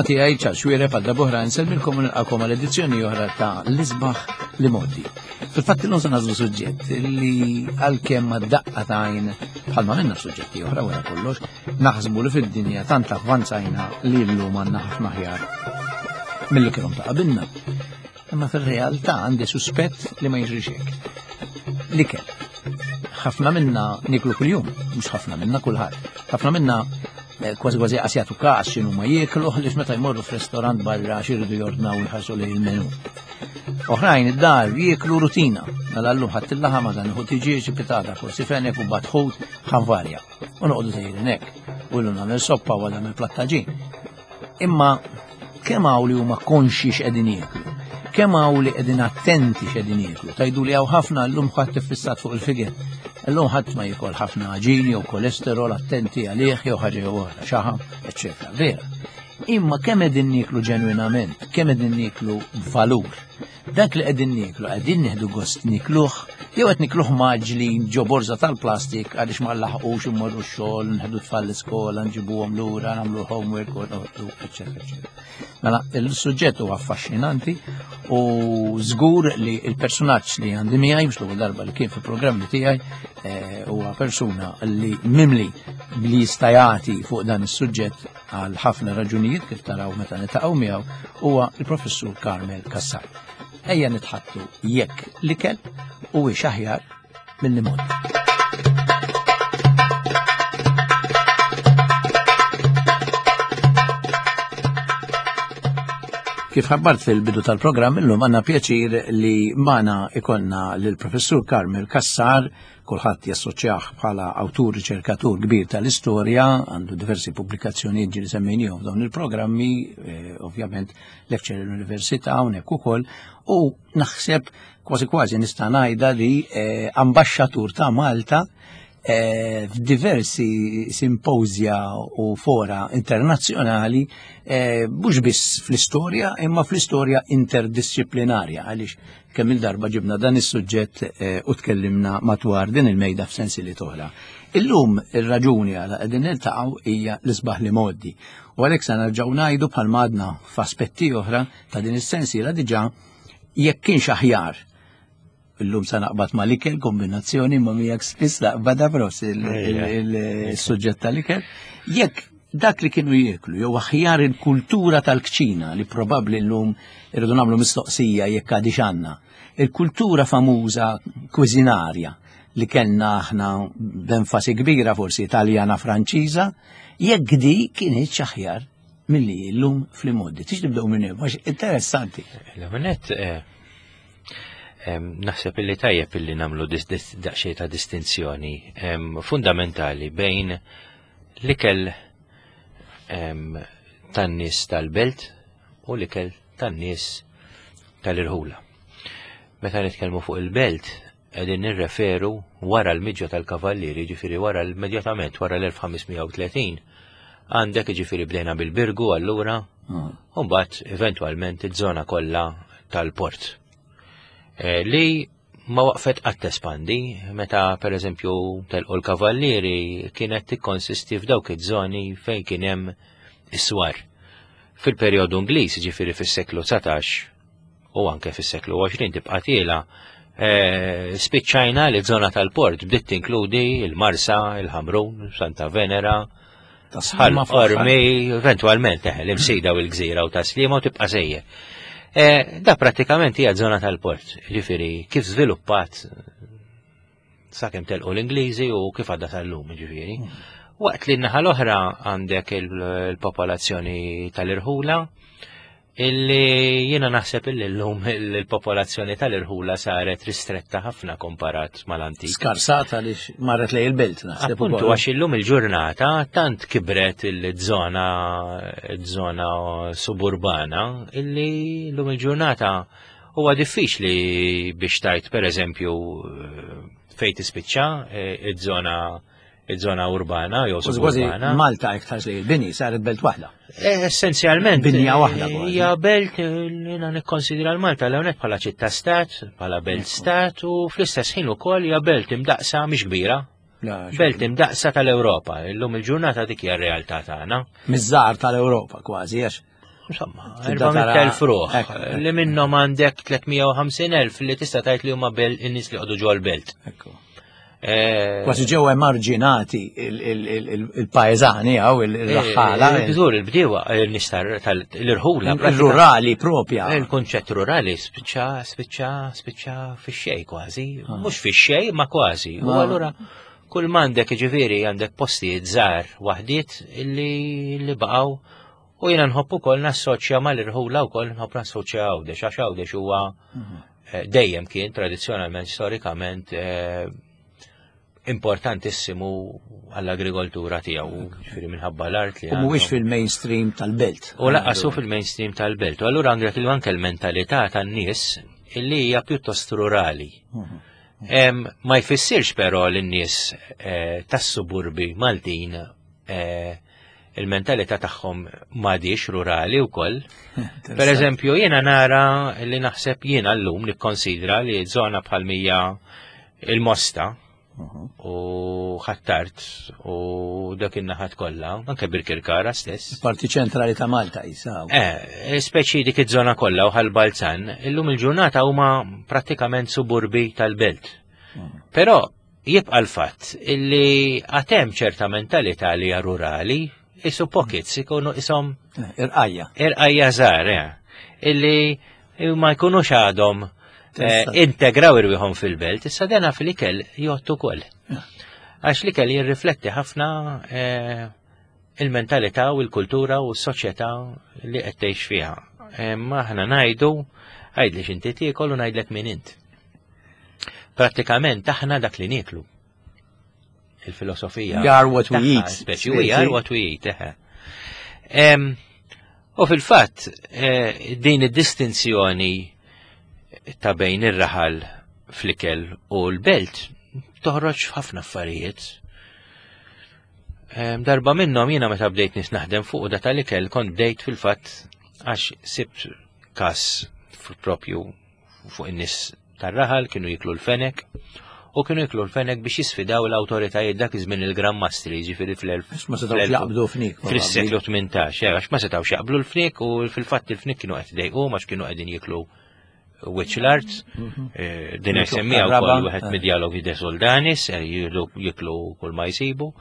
Minnaħa tiegħi Charles Xuereb għal darb'oħra nsellmilkom u nilqakom għal edizzjoni oħra ta' l-isbaħ li modi. Fil-fatt illum se nażlu suġġett li għalkemm ma daqqa ta' għajn bħalma minna suġġetti oħra wara kollox, naħsbu li fid-dinja tant avvanzajna li llum għandna ħafna aħjar milli kienu ta' qabilna. Imma fil-realtà għandi suspett li ma jiġrix hekk. L-ikel. Ħafna minna niklu kuljum, mhux ħafna minna kulħadd. Ħafna minna eh, kważi kważi qas jagħtu każ x'inhu ma jieklu ħlief meta jmorru f'restorant barra x'iridu jordnaw jħarsu lejn il-menu. Oħrajn id-dar jieklu rutina, mela llum ħadd il-laħam għadha nieħu tiġieġ, pitata, forsi fenek u batħut ħanvarja. U noqogħdu sejrin hekk. U llum nagħmel soppa u għadha mill-plattaġin. Imma kemm hawn li huma konxi x'qegħdin jieklu? Kemm hawn li qegħdin attenti x'qegħdin jieklu? Tajdu li hawn ħafna llum ħadd iffissat fuq il-figer. Illum ħadd ma jiekol ħafna għaġin jew kolesterol attenti għalih jew ħaġa jew oħra, xaħam, eċċetera. Vera. Imma kemm qegħdin nieklu ġenwinament, kemm qegħdin nieklu b'valur. Dak li qegħdin nieklu qegħdin nieħdu gost nikluh jew qed nikluh maġlin ġo borża tal-plastik għaliex ma nlaħqux immorru x-xogħol, nħedu tfal l-iskola, nġibuhom lura, nagħmlu homework, eċetera, eċetera. Mela, il-suġġett huwa affaxxinanti u żgur li il-personaġġ li għandi miegħi mhux l-ewwel darba li kien fil-programmi tiegħi eh, huwa persuna li mimli li jista' jagħti fuq dan is-suġġett għal ħafna raġunijiet kif taraw meta nitaqgħu miegħu huwa l-Professur Carmel Cassar. Ejja nitħattu jekk l-ikel huwiex aħjar mill-limon. Kif ħabbart fil-bidu tal-programm illum għandna pjaċir li magħna ikonna lill-Professur Carmel Cassar Kulħadd jassoċjah bħala awtur riċerkatur kbir tal-istorja, għandu diversi pubblikazzjonijiet ġieli semmejniehom f'dawn il-programmi, eh, ovvjament lecture l-università hawnhekk ukoll, u naħseb kważi kważi nista' ngħidha li eh, ambaxxatur ta' Malta eh, f'diversi simpozja u fora internazzjonali mhux biss fl-istorja imma fl-istorja interdisciplinarja għaliex Kemm il-darba ġibna dan is-suġġett eh, u tkellimna matwar din il-mejda f'sensili toħra. Illum ir-raġuni għala qegħdin niltaqgħu hija l-isbaħ li modi. U għalhekk se nerġgħu ngħidu bħal madna f'aspetti oħra ta' din is-sensiela diġà jekk kienx aħjar illum sa naqbad ma l-ikel kombinazzjoni ma miegħek spiss naqbad pros il-suġġett tal-ikel. Jekk dak li kienu jieklu jew aħjar il-kultura tal-kċina li probabbli llum irridu nagħmlu mistoqsija jekk għadix għandna. Il-kultura famuża kwiżinarja li kellna aħna b'enfasi kbira forsi Italjana Franċiża, jekk di kienet aħjar milli llum fl-imoddi. Tix nibdew minn hemm, għax interessanti. L-għonet, eh, naħseb illi tajjeb illi nagħmlu daqsxejn ta' distinzjoni fundamentali bejn L-ikel tan-nies tal-belt u l-ikel tan-nies tal-irħula. Meta nitkellmu fuq il-belt, qegħdin nirreferu wara l-miġja tal-kavallieri, ġifieri wara immedjatament wara l-1530, għandek ġifieri bdejna bil-Birgu allura, mm. u mbagħad eventwalment iż-żona kollha tal-port. Eh, li ma waqfet qatt tespandi, meta pereżempju telqu l-kavallieri kienet tikkonsisti f'dawk iż-żoni fejn kien hemm is-swar. Fil-perjodu Ingliż, ġifieri fis-seklu 19 u anke fis-seklu 20 tibqa' tiela, eh, spiċċajna li żona tal-port bdiet tinkludi il-Marsa, il-Ħamrun, Santa Venera, Ħal Qormi, eventualment eh, l-imsida u l-gżira u taslima u tibqa' sejjer. Eh, da pratikament hija żona tal-port, ġifieri kif żviluppat sakemm telqu l-Ingliżi u kif għadda tal-lum, ġifieri. Hmm. Waqt li n-naħa l-oħra għandek il-popolazzjoni tal-irħula, Illi jiena naħseb illi llum il-popolazzjoni tal-irħula saret ristretta ħafna komparat mal-antik. Skarsata li marret lej il-belt naħseb. Appuntu għax illum il-ġurnata tant kibret il-żona żona suburbana illi llum il-ġurnata huwa diffiċli biex tajt pereżempju fejn tispiċċa eh, iż-żona iż-żona urbana jew suburbana. Malta iktar li l-bini saret belt waħda. Eh, essenzjalment. Binja waħda. Eh, hija belt eh, jiena nikkonsidra l-Malta l hawnhekk bħala ċittà stat, bħala belt stat u fl-istess ħin ukoll hija belt imdaqsa mhix kbira. Belt imdaqsa tal-Ewropa, illum il-ġurnata dik hija r-realtà tagħna. Miż-żgħar tal-Ewropa kważi għax. Insomma, 400.000 ruħ li minnhom għandek 350.000 li tista' tgħid li huma in-nies li qogħdu ġol-belt. Eh, Kważi ġew emarġinati il-paeżani għaw il-raħħala. Eh, Żur il-bdiewa eh, nistar tal-irħula. Il-rurali propja. Il-kunċett rurali spiċċa, spiċċa, spiċċa fix-xej kważi. Ah. Mhux fix-xej, ma kważi. U ah. allura kull m'għandek ġifieri għandek postijiet żgħar waħdiet illi baqgħu u jiena nħobb ukoll nassoċja mal-irħula wkoll nħobb nassoċja Għawdex għax Għawdex huwa mhm. Eh, dejjem kien tradizzjonalment storikament eh, importantissimu għall-agrikoltura tiegħu, ġifieri minħabba l-art li. U mhuwiex fil-mainstream tal-belt. U laqqasu fil-mainstream tal-belt. U allura għandek anke l-mentalità tan-nies illi hija pjuttost rurali. Mhm. Ma jfissirx però l-nies eh, tas-suburbi Maltin il-mentalità tagħhom m'għadix rurali wkoll. Per eżempju, jiena nara li naħseb jiena llum nikkonsidra li żona bħal mija il-Mosta mhm. u ħattart u dak in-naħat kollha, anke Birkirkara stess. Parti ċentrali ta' Malta jisa. Eh, speċi dik iż-żona kollha u ħal-Balzan, illum il-ġurnata huma prattikament suburbi tal-belt. Mhm. Però Jibqa' l-fatt illi għad hemm ċerta mentalità li hija rurali, isu pockets ikunu isom irqajja. Irqajja żgħar, eh. illi ma jkunux għadhom eh, integraw irwieħhom fil-belt, issa dena fil-ikel jgħottu ukoll. Għax l-ikel jirrifletti ħafna eh, il-mentalità u l-kultura u s-soċjetà li qed tgħix fiha. Ma aħna ngħidu għidli x'inti tiekol u ngħidlek min int. Prattikament aħna dak li nieklu. Il-filosofija. We are what we eat. Speċi, we are what we eat. U fil-fatt, eh, din id-distinzjoni ta' bejn ir-raħal fl-ikel u l-belt toħroġ f'ħafna affarijiet. Darba minnhom jiena meta bdejt nis naħdem fuq da tal-ikel kont bdejt fil-fatt għax sibt kas propju fuq in-nies tar-raħal kienu jiklu l-fenek u kienu jiklu l-fenek biex jisfidaw l-awtoritajiet dak iż-żmien il-Gran Mastri, ġifieri fl-1000. Ma setgħux jaqbdu fnik. Fis-seklu 18, eh, għax ma setgħux jaqblu l-fnik u fil-fatt il-fnik kienu qed idejqu għax kienu qegħdin jiklu wiċċ l-art. Mhm. Eh, din semmija wkoll wieħed eh. mid-dialogi de Soldanis, jiklu kull ma jsibu.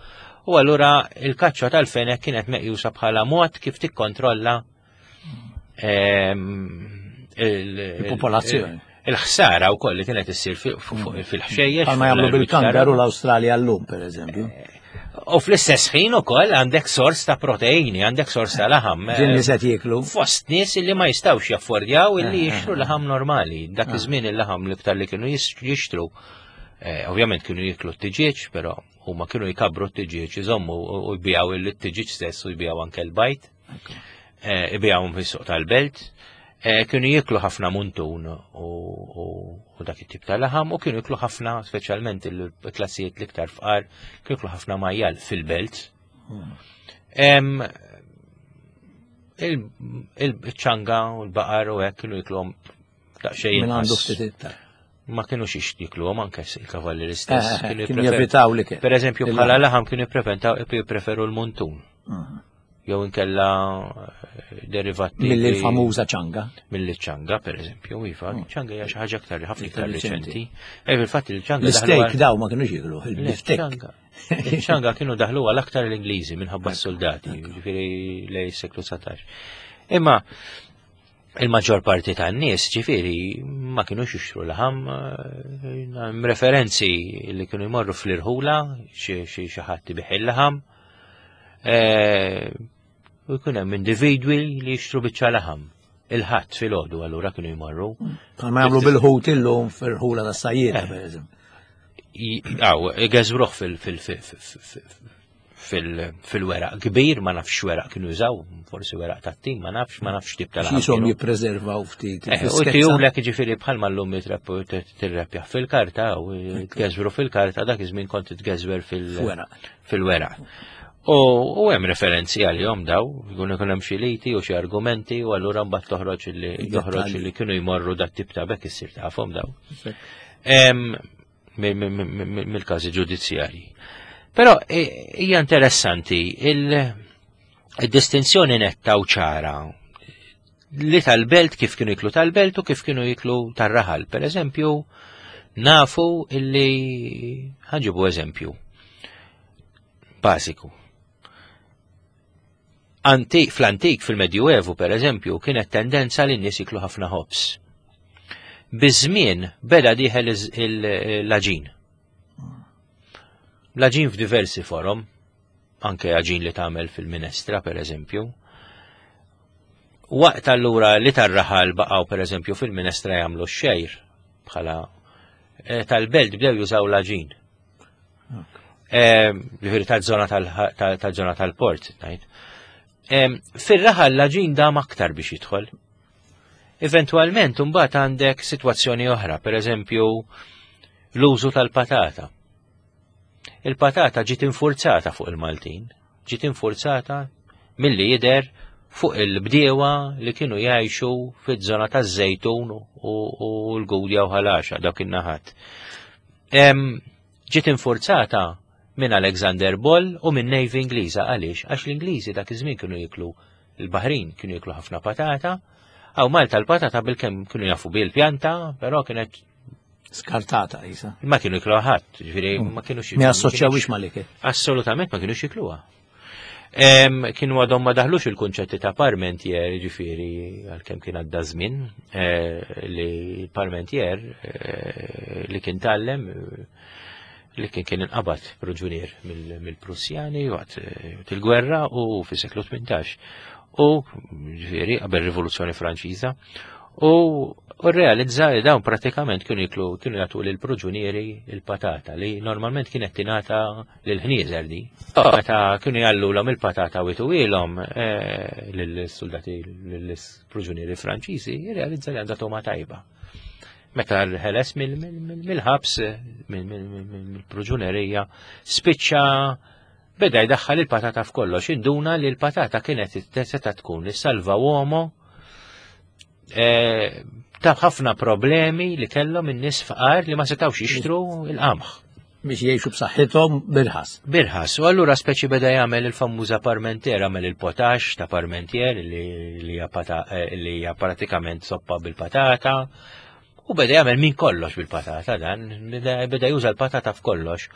U allura il-kaċċa tal-fenek kienet meqjusa bħala mod kif tikkontrolla Ehm, il-popolazzjoni. Il-ħsara u koll li kienet issir fil-ħxejjex. Bħalma jagħmlu bil-kangaru l-Awstralja llum, per eżempju. Eh, u fl-istess ħin ukoll għandek sors ta' proteini, għandek sors ta' laħam. Ġin li se jieklu. Fost nies li ma jistgħux jaffordjaw illi eh, jixtru eh, laħam normali. Dak iż-żmien il-laħam l-iktar li kienu jixtru. Ovvjament kienu jiklu t-tiġieġ, però huma kienu jkabru t-tiġieġ, iżommu u jbijaw il-tiġieġ stess u jbijaw anke l-bajt. Eh, ibijawhom fis-suq tal-belt, eh, kienu jiklu ħafna muntun u dak it-tip ta' laħam u kienu jiklu ħafna, speċjalment il-klassijiet l-iktar fqar, kienu jiklu ħafna majjal fil-belt. Hmm. Il-ċanga u l-baqar u hekk kienu jikluhom daqsxejn. Minn għandu ftit iktar. Ma kienu xiex jikluhom anke il-kavalli l-istess. Eh, kienu jevitaw li Per eżempju, bħala laħam kienu jippreventaw jippreferu l-muntun. Mhm. Jew inkella eh, derivati. Milli l-famuża ċanga. Milli ċanga, per eżempju, iva, mm. ċanga hija xi ħaġa aktar ħafna iktar riċenti. Eh, fil-fatt il-ċanga. L-steak daw ma kienux jiklu, il-biftek. Il-ċanga kienu daħlu għal aktar l-Ingliżi minħabba s-soldati, ġifieri lej seklu 19. Imma il-maġġor parti tan-nies ġifieri ma kinux jixtru laħam eh, referenzi li kienu jmorru fl-irħula xi xi ħadd ibih il-laħam. Eh, u jkun hemm individwi li jixtru biċċa laħam. Il-ħadd filgħodu allura kienu jmorru. Bħalma jagħmlu bil-ħut illum fil-ħula tas-sajjieda eh. pereżempju. Aw, geżruh fil-weraq kbir, ma nafx weraq kienu jużaw, forsi weraq tat-tim, ma nafx, ma nafx tip tal Jisom jippreservaw ftit. Eh, u tijulek ġifiri bħalma l-lum tirrepjaħ fil-karta, u tgeżwru fil-karta, dak iż-żmien kont tgeżwer fil-weraq. U hemm referenzi għalihom daw, jkun ikun hemm xi liti u xi argumenti u allura mbagħad toħroġ li toħroġ li kienu jmorru dat tip ta' bekk issir tafhom daw. Mill-każi ġudizzjarji. Però hija interessanti il-distinzjoni netta u ċara Li tal-belt kif kienu jiklu tal-belt u kif kienu jiklu tar-raħal. Per eżempju, nafu illi ħanġibu eżempju bażiku. Antik, fl-antik, fil-Medjuevu, per eżempju, kienet tendenza li n-nies jiklu ħafna ħobż. Biż-żmien beda dieħel l-aġin. L-aġin f'diversi forom, anke aġin li tagħmel fil-minestra, per eżempju. Waqt allura li tar-raħal baqgħu per eżempju fil-minestra jagħmlu x-xejr bħala eh, tal-belt bdew jużaw l-aġin. Ġifieri tal-żona tal-żona tal-port, ngħid. Fir-raħal l-aġin dam aktar biex jidħol. Eventwalment imbagħad għandek sitwazzjoni oħra, pereżempju l-użu tal-patata. Il-patata ġiet infurzata fuq il-Maltin, ġiet infurzata milli jidher fuq il-bdiewa li kienu jgħixu fiż-żona taż-Żejtun u l-Gudja u Ħalaxa dawk in-naħat. Ġiet infurzata minn Alexander Boll u minn Navy Ingliża għaliex għax l-Ingliżi dak iż-żmien kienu jiklu l-Baħrin kienu jiklu ħafna patata. Aw Malta l-patata bil-kemm kienu jafu bil-pjanta, però kienet skartata isa. Ma kienu jikluha ħadd, ġifieri mm. ma kienu xi. Ma assoċjawix mal-ikel. Assolutament ma kienu jikluha. Kienu għadhom ma daħlux il-kunċetti ta' parmentier, ġifieri għalkemm kien għadda żmien eh, li parmentier eh, li kien tallem eh, li kien kien inqabad proġunier mill-Prussjani waqt il-gwerra u fis-seklu 18. U ġifieri qabel Rivoluzzjoni Franċiża U realizza li dawn pratikament kienu jiklu kienu jagħtu lil proġunieri il-patata li normalment kienet tingħata lil ħnieżer di. Meta kienu jgħallulhom il-patata u jtuwielhom eh, lill-soldati lill-proġunieri Franċiżi, realizza li għandha toma tajba. Meta l-ħeles mill-ħabs, mill-proġunerija, spiċċa beda jdaħħal il-patata f'kollox, induna li l-patata kienet seta tkun is-salva uomo eh, ta' ħafna problemi li kellhom in-nies fqar li ma setgħux jixtru il-qamħ. Biex jgħixu b'saħħithom birħas. Birħas, u allura speċi beda jagħmel il-famuża parmentier, għamel il-potax ta' parmentier li eh, hija pratikament soppa bil-patata. U beda jagħmel minn kollox bil-patata dan, beda juża l-patata f'kollox.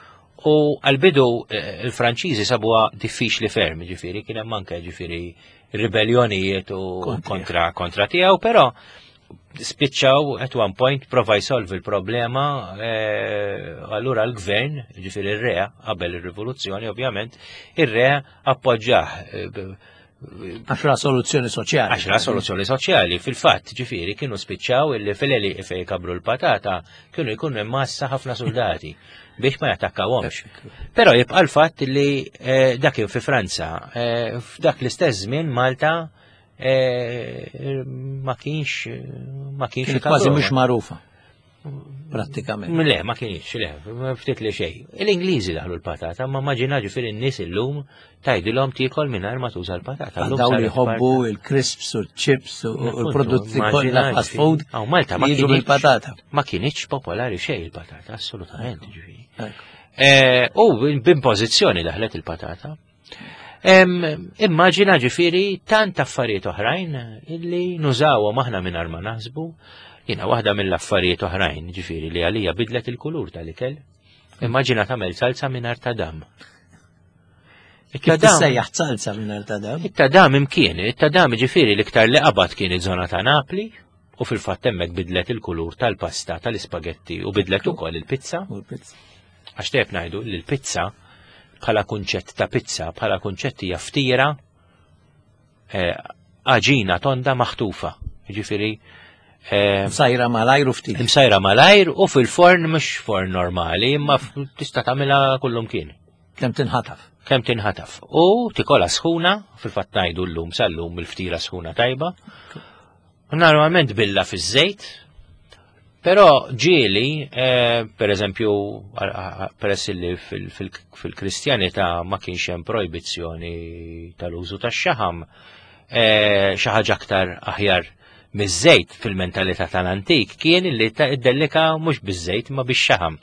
U għal-bidu eh, il-Franċiżi sabuha diffiċli ferm, ġifieri kien hemm anke ġifieri ribellionijiet u kontra kontra tiegħu, però spiċċaw at one point prova jsolvi l-problema eh, allura l-gvern, ġifieri ir-re qabel ir-rivoluzzjoni ovvjament, ir-re appoġġah eh, Għax ra soluzzjoni soċjali. Għax ra soluzzjoni soċjali, fil-fatt, ġifieri kienu spiċċaw illi fil-eli fej kabru l-patata kienu jkunu immassa ħafna soldati biex ma jattakkawhomx. Però jibqa' l-fatt li eh, dak kien fi Franza, eh, f'dak l-istess żmien Malta eh, ma kienx ma kienx kważi mhux magħrufa. Prattikament. Le, ma kienx, le, ftit li xejn. L-Ingliżi daħlu l-patata, ma maġina ġifieri n-nies illum tgħidilhom tiekol mingħajr ma tuża l-patata. Dawn li jħobbu il-crisps u l-chips u l-prodotti kollha fast food. Aw Malta ma kienx bil-patata. Ma kienx popolari xejn il-patata, assolutament ġifieri. Eh, u b'impożizzjoni daħlet il-patata. Immaġina ġifiri tant affarijiet oħrajn illi nużawhom aħna mingħajr ma naħsbu. Jiena waħda mill-affarijiet oħrajn ġifiri li għalija bidlet il-kulur tal-ikel. Immaġina tagħmel salsa mingħajr tadam. Kif tissejjaħ salsa mingħajr tadam? It-tadam imkien, it-tadam ġifiri l-iktar li qabad kien iż-żona ta' Napli, u fil-fatt hemmhekk bidlet il-kulur tal-pasta tal-ispagetti u bidlet ukoll il-pizza. Għax tejb ngħidu li l-pizza bħala kunċett ta' pizza, bħala kunċett hija ftira eh, għaġina tonda maħtufa. Ġifieri eh, Msajra malajr u ftit. Msajra malajr u fil-forn mhux forn normali, imma tista' tagħmilha kullum kien. Kemm tinħataf. Kemm tinħataf. U tikola sħuna, fil-fatt ngħidu llum sal-lum il-ftira sħuna tajba. Normalment billa fiż-żejt, però ġieli, eh, per eżempju, peress li fil-Kristjanità ma kienx hemm projbizzjoni tal-użu tax-xaħam, eh, xi ħaġa aktar aħjar miż-żejt fil-mentalità tal-antik kien li ddellika mhux biż-żejt ma bix-xaħam.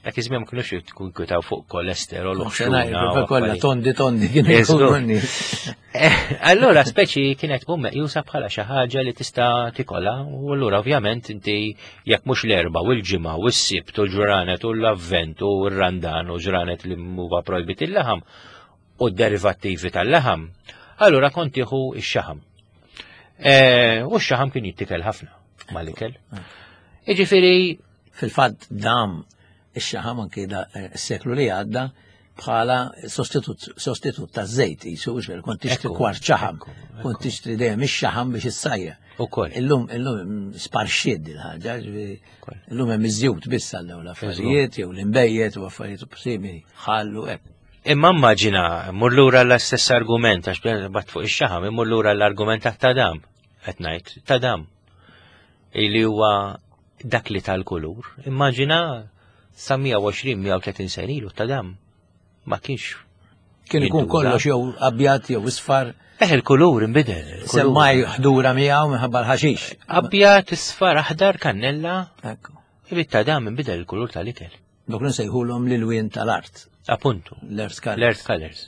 Dak iż-żmien ma kinux jitkunkwitaw fuq kolesterol u xena. Kollha tondi tondi kienu jkunu eh, Allura speċi kienet tkun meqjusa bħala xi ħaġa li tista' tikola u allura ovvjament inti jekk mhux l-erba' u l-ġimgħa u s-sibt u l-ġranet u l-avvent u r-randan u ġranet li huwa projbit il-laħam u d-derivattivi tal-laħam, allura kont tieħu x-xaħam. Eh, u x-xaħam kien jittikel ħafna mal-ikel. Iġifieri Fil-fatt dam ix-xaħam anki da eh, s-seklu li għadda bħala sostitut sostitut ta' żejt jisu ġver kont tixtri kwart xaħam, kont tixtri dejjem ix-xaħam biex issajja. Ukoll. Illum illum sparxiet din ħaġa, ġifieri illum hemm iż-żjut biss għal dawn l-affarijiet jew l-imbejjed u affarijiet simili, ħallu hekk. Imma immaġina, mur lura l-istess argument, għax bat fuq ix-xaħam, immur lura l-argument ta' tadam, qed ngħid, tadam. Li huwa dak li tal-kulur. Immaġina sa 120-130 sen ilu ta' dam. Ma kienx. Kien ikun kollox jew abjad jew isfar. Eh, il-kulur inbidel. Semmaj ħdura miegħu minħabba l-ħaxix. Abjad, isfar, aħdar, kannella. Ekku. Ibit ta' dam inbidel il-kulur tal-ikel. Dok nsejħulhom l-ilwien tal-art. Appuntu. L-earth colors. L-earth colors.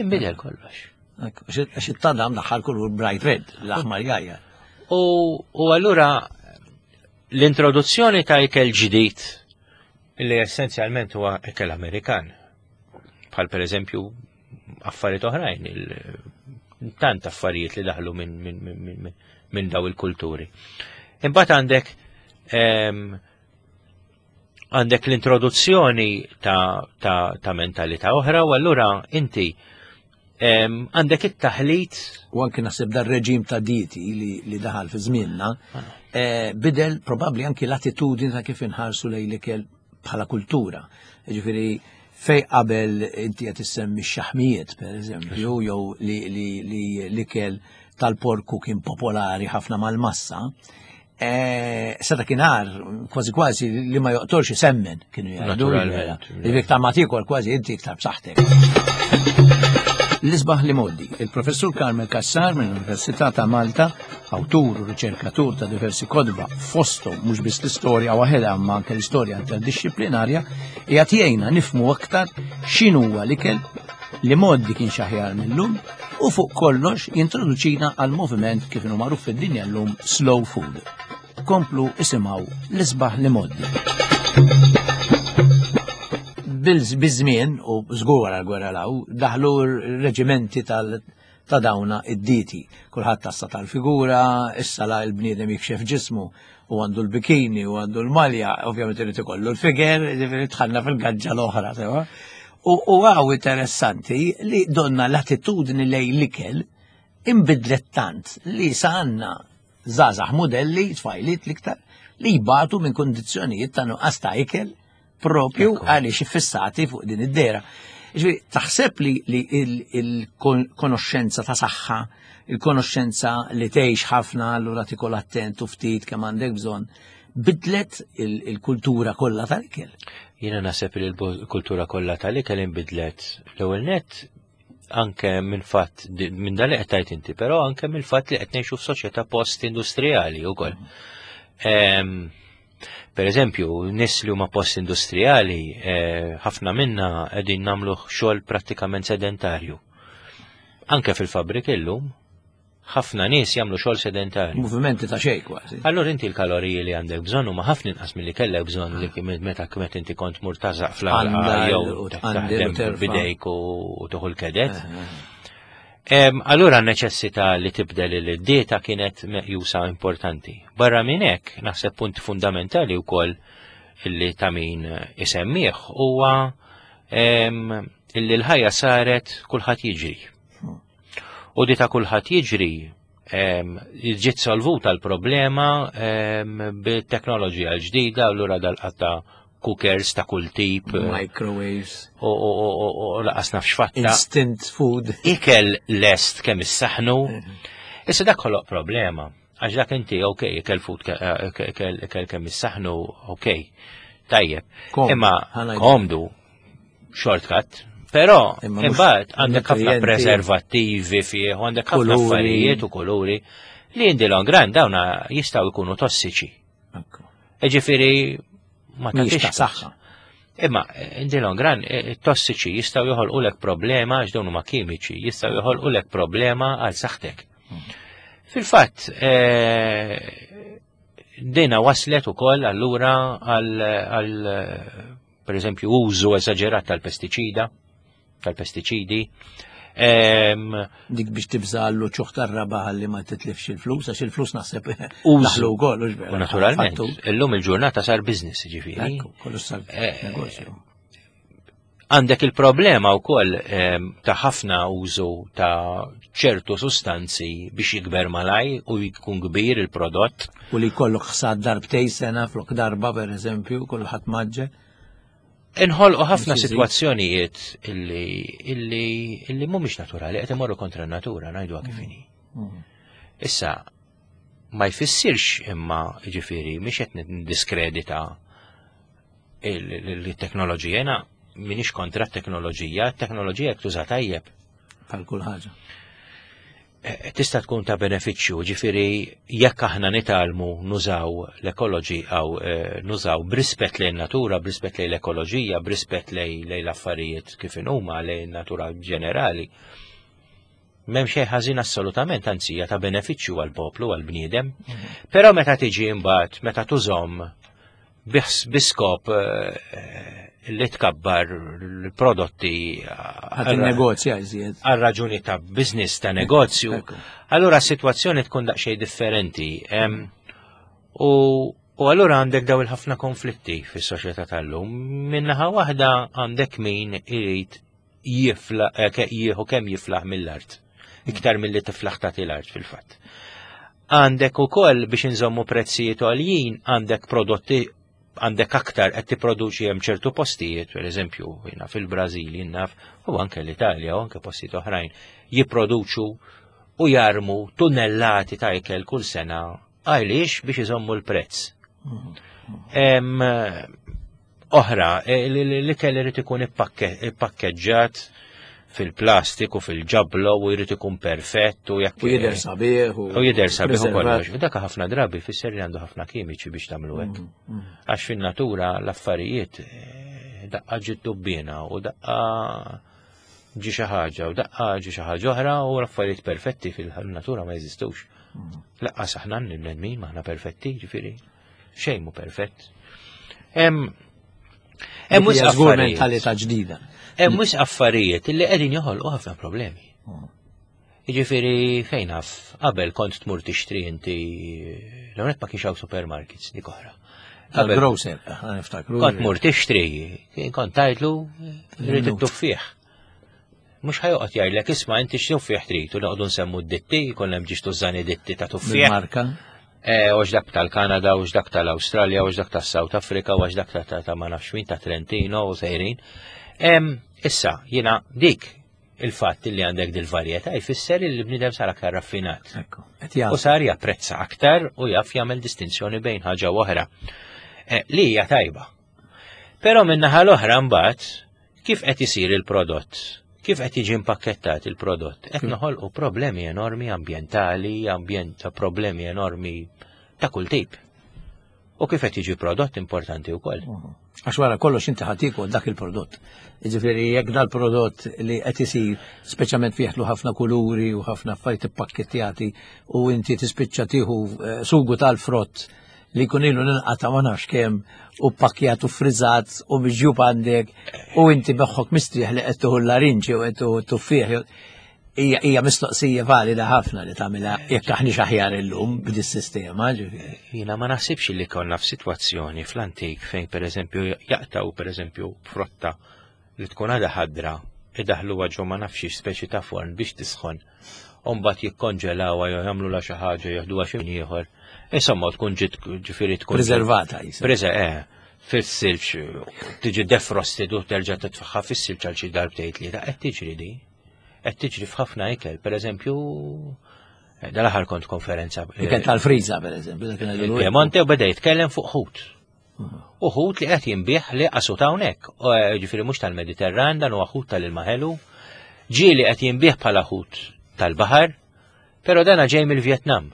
Inbidel kollox. Għax it-tadam daħħal kulur bright red, l-aħmar jajja. U allura l-introduzzjoni ta' ikel ġdid li essenzjalment huwa ikel Amerikan. Bħal per eżempju affarijiet oħrajn, tant affarijiet li daħlu minn min, min, min daw il-kulturi. Imbagħad għandek ehm, għandek l-introduzzjoni ta', ta, ta mentalità oħra u allura inti għandek it-taħlit. U anki naħseb dar reġim ta' dieti li, li daħal fi żmienna ah. eh, bidel probabbli anki l-attitudni ta' kif inħarsu lejn l-ikel bħala kultura. Ġifieri fej qabel inti qed issemmi x-xaħmijiet pereżempju jew li l-ikel tal-porku kien popolari ħafna mal-massa, Eh, sa dakinhar kważi kważi li ma joqtolx isemmen kienu jgħidu. Li iktar ma tiekol kważi inti iktar b'saħħtek. L-isbaħ li moddi, il-professur Carmel Cassar mill-Università ta' Malta, awtur u riċerkatur ta' diversi kodba, fosthom mhux biss l-istorja waħedha imma anke l-istorja interdixxiplinarja, qiegħed jgħinna nifhmu aktar x'inhuwa l-ikel li moddi kien xaħjar mill-lum u fuq kollox jintroduċina għal moviment kif inhu magħruf fid-dinja llum slow food. Komplu isimgħu l-isbaħ li moddi. Biż-żmien u żgur wara l-gwerra law daħlu reġimenti tal ta' dawna id-diti. Kulħadd tassa tal-figura, issa la l-bniedem jikxef ġismu u għandu l-bikini u għandu l-malja, ovvjament irid ikollu l-figer, ġifieri tħanna fil-gaġġa l-oħra, sewa. U għaw interessanti li donna l-attitudni lej l-ikel imbidlet tant li sa għandna żgħażagħ modelli, tfajliet l-iktar, li jbatu minn kondizzjonijiet ta' nuqqas ta' ikel propju għaliex iffissati fuq din id-dera. Ġifieri, taħseb li, li il-konoxxenza ta' saħħa, il-konoxxenza li tgħix ħafna allura tikol attent u ftit kemm għandek bżonn, bidlet il-kultura kollha tal-ikel. Jiena naħseb li l-kultura kollha tal-ikel inbidlet l-ewwel nett anke minn fatt minn dan li qed tgħid inti, però anke mill fatt li qed ngħixu f'soċjetà post-industrijali wkoll. Mm. Per eżempju, nis li huma post-industrijali, eh, ħafna minna qegħdin nagħmlu xogħol prattikament sedentarju. Anke fil-fabrik illum, ħafna nies jagħmlu xogħol sedentarju. Movimenti ta' xejn kważi. Allura inti l-kaloriji li għandek bżonn huma ħafna inqas milli kellek bżonn li meta kmet inti kont murtażaq fl-għalqa jew taħdem bidejk u tuħu l-kedet. Eh, eh. Allura n-neċessità li tibdel il-dieta kienet meqjusa importanti. Barra minn hekk, naħseb punt fundamentali wkoll illi ta' min isemmih huwa illi l-ħajja saret kulħadd jiġri. U di ta' kulħadd jiġri ġiet solvuta l-problema bit-teknoloġija l-ġdida, allura dal-qatta cookers ta' kull tip. Eh, Microwaves. U laqas nafx fatta. Instant food. Ikel lest kemm issaħnu. Mhm. Issa dak ħoloq problema. Għax dak inti, ok, ikel food, eh, ikel kemm issaħnu, ok, tajjeb. Imma komdu, shortcut, Però imbagħad għandek ħafna preservattivi fih, għandek ħafna affarijiet u kuluri li in the long run dawna jistgħu jkunu tossiċi. Ġifieri ma tagħtix saħħa. Imma in the long run, it-tossiċi jistgħu joħolqulek problema għax dawn huma kimiċi, jistgħu joħolqulek problema għal saħħtek. Fil-fatt, dina waslet ukoll allura għal per eżempju użu eżaġerat tal-pestiċida, tal-pestiċidi. Dik biex tibża għallu ċuħ tar-raba ħalli ma titlifx il-flus, għax il-flus naħseb użu wkoll, u vera. Naturalment, illum il-ġurnata sar business ġifieri. Kollu sar eh, negozju. Għandek il-problema wkoll ta' ħafna użu ta' ċertu sustanzi biex jikber malaj u jkun kbir il-prodott. U li jkollok ħsad darbtej sena flok darba per eżempju, kulħadd maġġe. Inħolqu ħafna sitwazzjonijiet illi illi illi mhumiex naturali qed imorru kontra n-natura ngħiduha kif inhi. Mm. Issa ma jfissirx imma ġifieri mhix qed niddiskredita il-teknoloġija jiena minix kontra t-teknoloġija, t-teknoloġija jekk tuża tajjeb. Bħal kull ħaġa. Eh, tista' tkun ta' benefiċċju, ġifieri jekk aħna nitgħallmu nużaw l-ekoloġi għaw eh, nużaw b'rispett lejn natura, b'rispett lejn l-ekoloġija, b'rispett lejn l-affarijiet kif huma lejn natura ġenerali. M'hemm xejn ħażin assolutament, anzi hija ta' benefiċċju għall-poplu, għall-bniedem. Mhm. Però meta tiġi imbagħad, meta tużhom biskop eh, li tkabbar l-prodotti għal negozja iżjed. Għal raġuni ta' business ta' negozju. Allura s-sitwazzjoni tkun daqsxejn differenti. U U allura għandek daw il-ħafna konflitti fis-soċjetà tal-lum. Minnaħa waħda għandek min irid jifla eh, jieħu kemm jiflaħ mill-art. Iktar milli tiflaħ tagħti l-art fil-fatt. Għandek ukoll biex inżommu prezzijiet għoljin, għandek prodotti għandek aktar qed tipproduċi hemm ċertu postijiet, per eżempju, jiena fil-Brażil jinnaf, u anke l-Italja u anke postijiet oħrajn, jipproduċu u jarmu tunnellati ta' ikel kull sena għaliex biex iżommu l-prezz. Oħra, e, l-ikel irid ikun ippakkeġġat fil-plastik u fil-ġablo u jrid ikun perfett u jekk. U jidher sabiħ u jidher sabiħ u kollox. U dak ħafna drabi fisser li għandu ħafna kimiċi biex tagħmlu hekk. Mm, mm. Għax fin-natura l-affarijiet eh, daqqa ġiet dubbina u daqqa ġi xi ħaġa u daqqa ġi xi ħaġa oħra u l-affarijiet perfetti fil-natura ma jeżistux. Mm. Laqqas aħna n-bnedmin maħna perfetti, ġifieri. Xejn mu perfett. Hemm hemm wisq affarijiet. Mentalità ġdida. Hemm wisq affarijiet li qegħdin joħolqu ħafna problemi. Hmm. Jiġifieri fejn naf, qabel kont tmur tixtri inti l-għonet ma kienx hawn supermarkets dik oħra. Qabel grocer, niftakru. Kont mur tixtri, kont tajtlu rrid it-tuffieħ. Mhux ħajoqgħod jgħidlek isma' inti x'tuffieħ trid u noqogħdu nsemmu d-ditti, jkun hemm ġiex tużani ditti ta' tuffieħ. Marka. Eh, u dak tal-Kanada, u dak tal-Awstralja, u dak tas-South Africa, u dak ta' ta' ma nafx min ta' Trentino u sejrin. Issa, jiena dik il-fatt li għandek dil-varjetà jfisser li l-bniedem sar aktar raffinat. U sar japprezza aktar u jaf jagħmel distinzjoni bejn ħaġa u oħra. Eh, li hija tajba. Però min-naħa l-oħra mbagħad Kif qed isir il-prodott? Kif qed jiġi impakkettat il-prodott? Qed noħolqu problemi enormi ambjentali, ambjent ta' problemi enormi ta' kull tip. U kif qed jiġi prodott importanti wkoll. Mhm. Għax wara kollox inti ħadd tiekol dak il-prodott. Jiġifieri jekk dal-prodott li qed isir speċjalment fih ħafna kuluri u ħafna affarijiet ippakkettjati u inti tispiċċa tieħu eh, sugu tal-frott li jkun ilu ninqata ma nafx kemm u pakkjat u frizzat u miġjub għandek u inti beħħok mistrieħ li qed tuħu l-larinġi u qed tuħu tuffieħ. Hija mistoqsija valida ħafna li tagħmilha jekk aħniex aħjar illum b'dis-sistema ġifieri. Jiena ma naħsibx li konna f'sitwazzjoni fl-antik fejn pereżempju jaqtaw pereżempju frotta li tkun għadha ħadra idaħluha ġo ma nafx speċi ta' forn biex tisħon u mbagħad jikkonġelawha jew jagħmlulha xi ħaġa jeħduha xi ieħor. Insomma tkun ġiet ġifieri tkun Preservata jisa. Preser eh, fis-silġ tiġi defrosted u terġa' titfaħħa fis-silġ għal xi darbtejn tlieta qed tiġri di. Qed tiġri f'ħafna ikel, pereżempju eh, dal-aħħar kont konferenza. Eh, ikel tal-friża pereżempju. Il-Piemonte u beda jitkellem fuq ħut. Uħut li qed jinbih li qasu ta' hawnhekk, eh, ġifieri mhux tal-Mediterran dan huwa ħut tal-ilma ħelu, ġieli qed jinbih bħala ħut tal-baħar, però dana ġej mill-Vjetnam.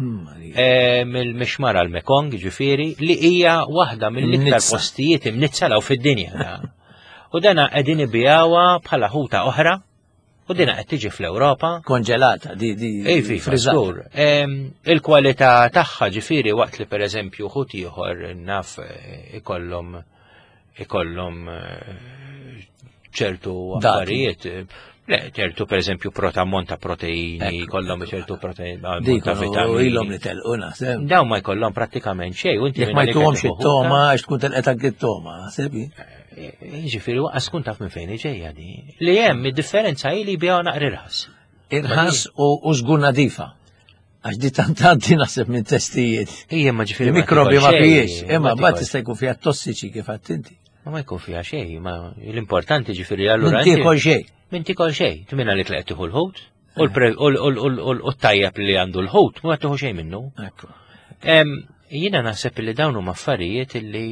Mill-mixmara l-Mekong, ġifieri, li hija waħda mill-iktar postijiet imnizza law fid-dinja. U dana qegħdin ibijawha bħala ħuta oħra u dina qed tiġi fl-Ewropa. Konġelata, di di. Ej, fi żgur. Il-kwalità tagħha ġifieri waqt li pereżempju ħut ieħor naf eh, ikollhom ikollhom eh, ċertu affarijiet. Le, ċertu per eżempju ammont ta' proteini, jkollhom ċertu proteini, ammont ta' vitamini. Ilhom li telqu naħseb. Dawn ma jkollhom prattikament xejn, u inti ma jtuhomx it-toma għax tkun telqet anke t-toma, sebi. Eh, eh, jiġifieri waqas tkun taf minn fejn ġejja di. Li hemm id-differenza hi li jbigħu naqra irħas. Irħas u żgur nadifa. Għax di tantanti naħseb minn testijiet. Ija ma ġifieri. Mikrobi ma fijiex, imma mbagħad tista' jkun fiha tossiċi kif għadt inti. Ma ma jkun fiha xejn, ma l-importanti ġifieri allura. Min tiekol xejn. Min tiekol xejn, tmina li tlaqt tieħu l-ħut u t-tajjeb li għandu l-ħut ma tieħu xejn minnu. Jiena naħseb li dawn huma affarijiet li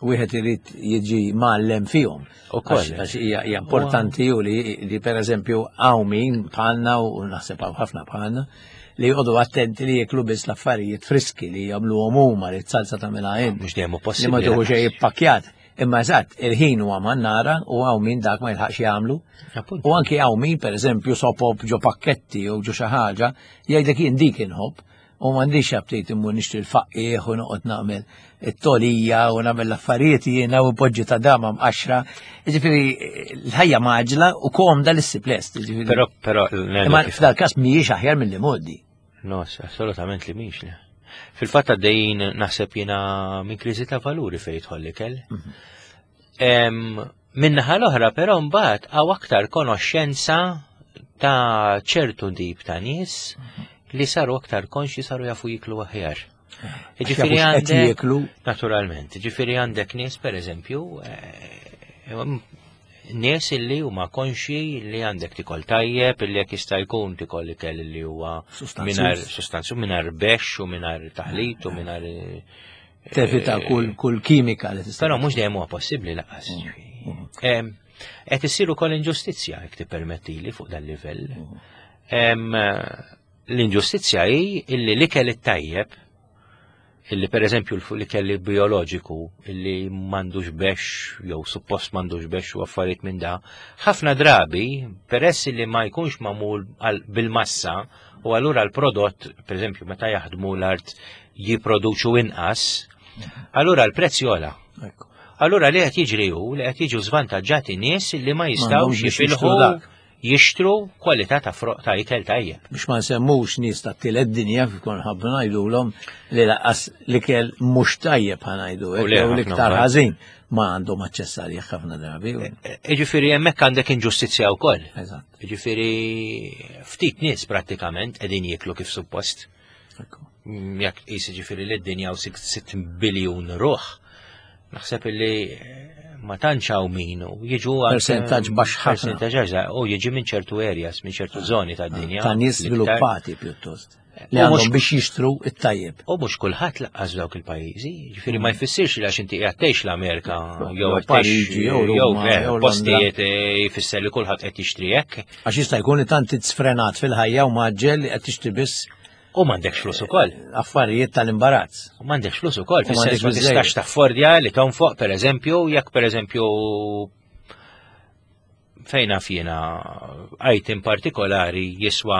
wieħed irid jiġi mgħallem fihom. Ukoll. Għax hija importanti u li, li pereżempju hawn min bħalna u naħseb hawn ħafna bħalna li jqogħdu attenti li jieklu biss l-affarijiet friski li jagħmluhom huma li t-salsa tagħmilha int. Mhux dejjem possibbli. Li ma tieħu xejn ippakkjat. Imma eżatt, il-ħin huwa mannara u hawn min dak ma jilħaqx jagħmlu. U anki hawn min pereżempju sopop ġo pakketti jew ġo xi ħaġa jgħidlek jien dik inħobb U m'għandix aptit immur nixtri l-faqqiegħ u noqgħod nagħmel it-tolija u nagħmel l-affarijiet jiena u poġġi ta' dama mqaxra. Jiġifieri l-ħajja maġla u komda li ssib lest. Però però Imma f'dal-każ mhijiex aħjar milli modi. No, assolutament li mhix. Fil-fatt għaddejjin naħseb jiena minn kriżi ta' valuri fejn jidħol l-ikel. Mhm. Min-naħa l-oħra però mbagħad hawn aktar konoxxenza ta' ċertu tip ta' nies li saru aktar konxi saru jafu jiklu aħjar. Ġifieri għandek naturalment, ġifieri għandek nies pereżempju eh, nies illi huma konxi li għandek tikol tajjeb, illi jekk jista' jkun tikol ikel li huwa mingħajr sustanzu mingħajr bexx u mingħajr taħlit u mingħajr Tevita eh, kull kull kimika li tista' Però mhux dejjem huwa possibbli laqas. Mm, mm. Qed issir ukoll inġustizzja jekk tippermettili fuq dan livell. Mm. L-inġustizzja hi illi l-ikel it-tajjeb illi per eżempju l-ikel bioloġiku illi m'għandux bex jew suppost m'għandux bex u affarijiet minn da, ħafna drabi peress li ma jkunx magħmul bil-massa u allura l-prodott, per eżempju, meta jaħdmu l-art jipproduċu inqas, allura l-prezz jola. Allura li qed jiġri hu li qed jiġu żvantaġġati nies li ma jistgħux jifilħu jixtru kwalità ta' froq ta' ikel tajjeb. Biex ma nsemmux nies ta' tielet dinja kif kon ħabbu ngħidulhom li laqas l-ikel mhux tajjeb ħa ngħidu jew l-iktar ħażin ma għandhom aċċess għalih ħafna drabi. E, e, jiġifieri hemmhekk għandek inġustizzja wkoll. Eżatt. Jiġifieri ftit nies prattikament qegħdin jieklu kif suppost. Mm, jekk tqis ġifieri li d-dinja u 6 biljun ruħ, naħseb li eh, ma tantx hawn min u jiġu percentaġġ baxx ħafna. Percentaġġ u jiġi minn ċertu areas, minn ċertu ah, żoni tad-dinja. Ta' nies sviluppati pjuttost. Li għandhom biex jixtru it-tajjeb. U mhux kulħadd laqqas dawk il-pajjiżi, ġifieri ma mm. jfissirx li għax inti qiegħed tgħix l-Amerika jew Pariġi jew eh, postijiet eh, jfisser li kulħadd qed jixtri hekk. Għax jista' jkun li tant sfrenat fil-ħajja u maġġel li qed tixtri biss U m'għandekx flus ukoll. Affarijiet tal-imbarazz. U m'għandekx flus ukoll, fis-sens ma tistax taffordja li tonfoq pereżempju, jekk pereżempju fejn naf jiena item partikolari jiswa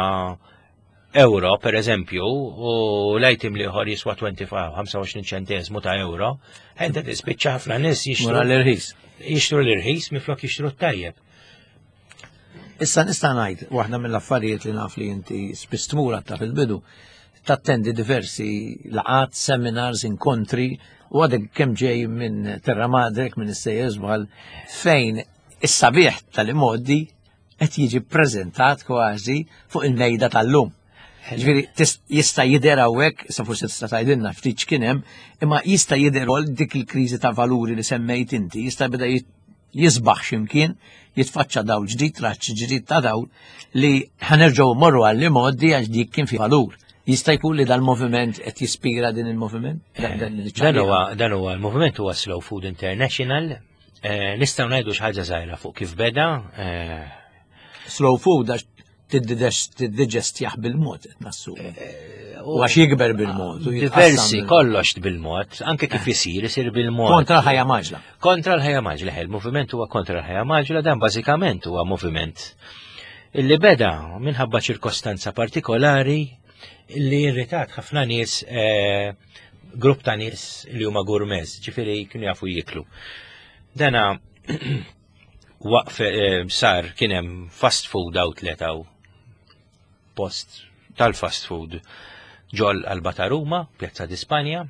euro per eżempju u l-item li ieħor jiswa 25 25 ċentesmu ta' euro, enta tispiċċa ħafna nies jixtru l-irħis. Jixtru l-irħis miflok jixtru t-tajjeb. Issa nista' ngħid waħda mill-affarijiet li naf li inti spiss tmur ta' fil-bidu tattendi diversi laqat, seminars, inkontri u għadek kemm ġej minn Terra Madrek, minn is-sejjer żball fejn is-sabiħ tal-imoddi qed jiġi ppreżentat kważi fuq il-mejda tal-lum. Ġifieri jista' jidher hawnhekk, sa forsi tista' tgħidilna ftit x'kien hemm, imma jista' jidher ukoll dik il-kriżi ta' valuri li semmejt inti, jista' beda jisbaħ x'imkien, jitfaċċa dawl ġdid, raġġ ġdid ta' dawl li ħanerġgħu mmorru għall modi għax dik kien fi valur. Jista' jkun li dal-moviment qed jispira din il-moviment? Dan huwa dan huwa l-moviment huwa Slow Food International. Eh, nistgħu ngħidu xi ħaġa żgħira fuq kif beda. Eh, Slow Food għax Tiddiġestjah bil-mod qed nassumi. U għax jikber bil-mod. u jitqassam Diversi, bil-mod. kollox bil-mod, anke kif isir, isir bil-mod. Kontra l-ħajja maġla. Kontra l-ħajja maġla, il-moviment huwa kontra l-ħajja maġla, dan bażikament huwa moviment illi beda minħabba ċirkostanza partikolari illi irritat ħafna nies, eh, grupp ta' nies li huma gourmets, ġifieri kienu jafu jiklu. Dana waqf eh, sar kien hemm fast food outlet hawn post tal-fast food ġol Alba ta' Ruma, Pjazza di Spanja,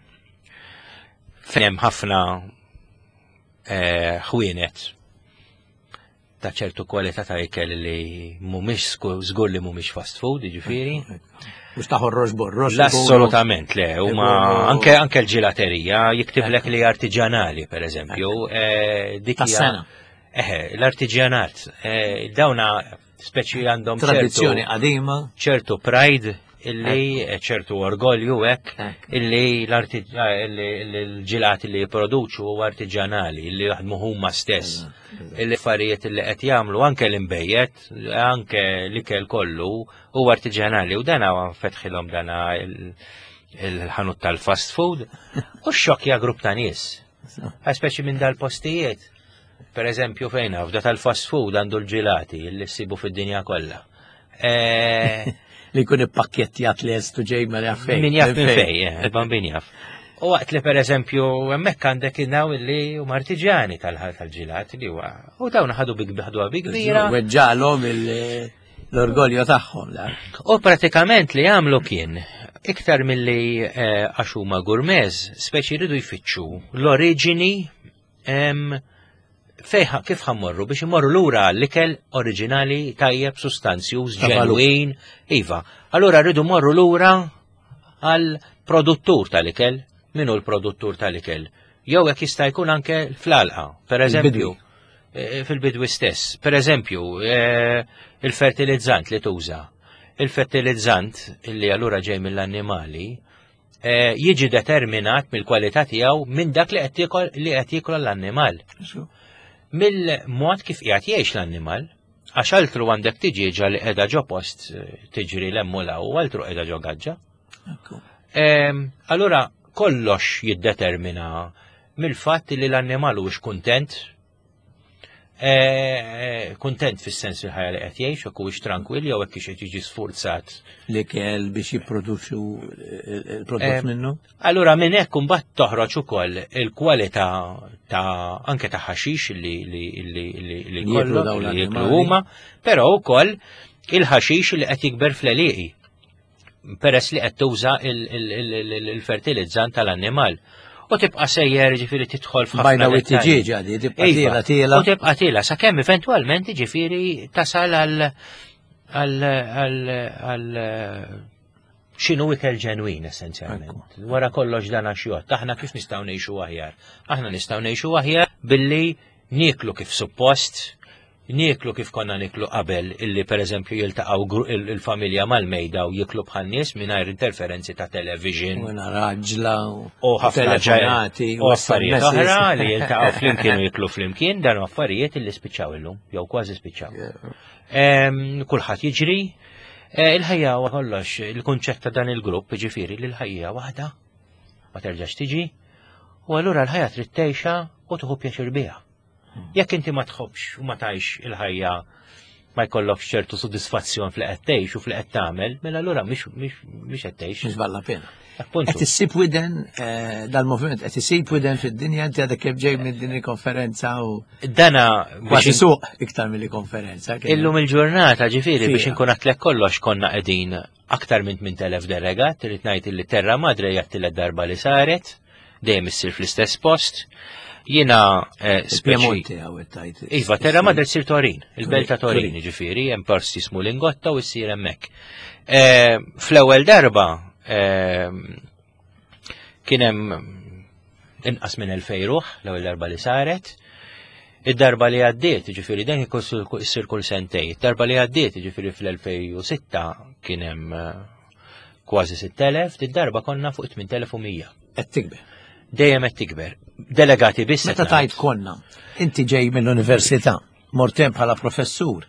fejn hemm ħafna eh, ħwienet ta' ċertu kwalità ta' ikel li mhumiex żgur li mhumiex fast food, jiġifieri. Mhux ta' ħorrox borrox. Assolutament le, huma Ikunu- anke anke l-ġilaterija jiktiblek li artiġanali pereżempju, eh, dik hija- Tas-sena. Eħe, l-artiġjanat, eh, dawna speċi għandhom ċertu- Tradizzjoni qadima. ċertu pride illi eh, ċertu orgolju hekk Hekk. illi l-ġilati li jipproduċu huwa artiġanali illi jaħdmu huma stess. Illi affarijiet illi qed jagħmlu anke l-imbejjed, anke l-ikel kollu huwa artiġanali u dana fetħilhom dana il- il-ħanut tal-fast food u xokja grupp ta' nies. Speċi minn dal-postijiet. Per eżempju fejn f'da tal-fast food għandu l-ġilati li ssibu fid-dinja kollha. Eh, Li jkun ippakkjettjat lest u ġej ma jaf fejn. Min jaf minn fej, eh, bambin jaf. U waqt li per eżempju, hemmhekk għandek innaw illi huma artiġjani tal-ġilat li huwa. U dawn ħadu bi ħaduha bi kbira. Weġġalhom l-orgolju tagħhom. la. U pratikament li għamlu kien iktar milli eh, għax huma gourmets, speċi jridu jfittxu l-oriġini em, fejn kif ħammorru biex imorru lura l-ikel oriġinali tajjeb sustanzjuż Ta' valur. ġenwin. Iva, allura rridu morru lura għal produttur tal-ikel. Min hu l-produttur tal-ikel? Jew jekk jista' jkun anke fl-alqa, per eżempju. Il-bidwi. eh, Fil-bidwi stess. Per eżempju, eh, il-fertilizzant li tuża. Il-fertilizzant illi allura ġej mill-annimali eh, jiġi determinat mill-kwalità tiegħu minn dak li qed jiekol li qed jiekol l-annimal mill-mod kif qiegħed jgħix l-annimal, għax altru għandek tiġieġa li qiegħda ġo post eh, tiġri l-hemm u law, u altru qiegħda ġo gaġġa. Ekku. Ehm, Allura kollox jiddetermina mill-fatt li l-annimal huwiex kuntent, eh, kuntent fis-sens il-ħajja li qed jgħix, jekk huwiex tranquill jew hekk qed jiġi sfurzat. Li kell biex jipproduċu il-prodott Eh, minnu. Allura minn hekk imbagħad toħroġ ukoll il-kwalità ta' anke ta' ħaxix li li li li li Li jieklu jkollok, dawn li jieklu l-annimali. huma, però wkoll il-ħaxix li qed jikber fl-għelieqi peress li qed tuża il- il- il- il- il-fertilizzant tal-annimal. U tibqa' sejjer ġifieri tidħol f'ħafna Bajna u dettalji. t-tiġieġa di, tibqa Iva, tiela tiela. U tibqa' tiela sakemm eventwalment ġifieri tasal għal għal għal għal x'inhu ikel ġenwin essenzjalment. Wara kollox dan għax jgħod. Aħna kif nistgħu ngħixu aħjar? Aħna nistgħu ngħixu aħjar billi nieklu kif suppost, nieklu kif konna niklu qabel illi pereżempju jiltaqgħu il-familja mal-mejda u jiklu bħal nies mingħajr interferenzi ta' television U raġla u ħafna telefonati u affarijiet SMS. oħra li jiltaqgħu flimkien u jiklu flimkien dan affarijiet illi spiċċaw illum jew kważi spiċċaw. Em, Kulħadd jiġri, Eh, il-ħajja huwa kollox, il-kunċett ta' dan il-grupp ġifieri li l-ħajja waħda ma terġax tiġi, u allura l-ħajja trid tgħixha u tieħu pjaċir biha. Jekk inti ma tħobbx u ma tgħix il-ħajja ma jkollokx ċertu sodisfazzjon fl qed tgħix u fl qed tagħmel, mela allura mhix mhix mhix qed tgħix. Mhix valla pena. Appuntu. Qed issib widen eh, dal-moviment, qed issib widen fid-dinja inti għadek kif ġej minn din il-konferenza u Dana kważi biex suq iktar milli konferenza. kien Illum il-ġurnata ġifiri biex Fija. inkun għatlek kollox konna qegħdin aktar minn 8000 delegat, trid ngħid li Terra Madre hija t-tielet darba li saret, dejjem issir fl-istess post. Jiena eh, speċi Il-Piemonte għaw tajt. Iva, Terra Madre tsir Torin, il-belt ta' Torin, Turin. ġifiri, hemm post jismu Lingotta u ssir hemmhekk. Eh, Fl-ewwel darba eh, kien hemm inqas minn 2000 ruħ l-ewwel darba li saret. Id-darba li għaddiet, ġifiri, dan ikun issir kull sentej. Id-darba li għaddiet, ġifiri fl-2006 kien hemm eh, kważi 6000, id-darba konna fuq 8100. Qed tikber. Dejjem qed tikber. Delegati biss. Meta qed tajt ngħid. konna, inti ġej mill-università, mortem bħala professur,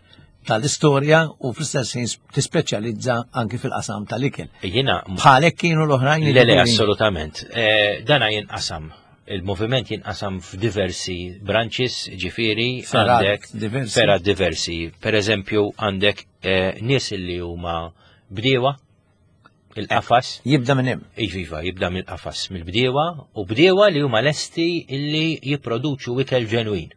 tal-istorja u fl-istess ħin tispeċjalizza anki fil-qasam tal-ikel. Jiena Bħalek kienu l-oħrajn. Le, le, assolutament. Eh, dana jinqasam. Il-moviment jinqasam f'diversi branches, ġifiri, Fergħat għandek diversi. fergħat diversi. Per eżempju, għandek eh, nies li huma bdiewa, il-qafas, Jibda minn hemm. Iva, jibda mill-qafas, mill-bdiewa, u bdiewa li huma lesti illi jipproduċu ikel ġenwin.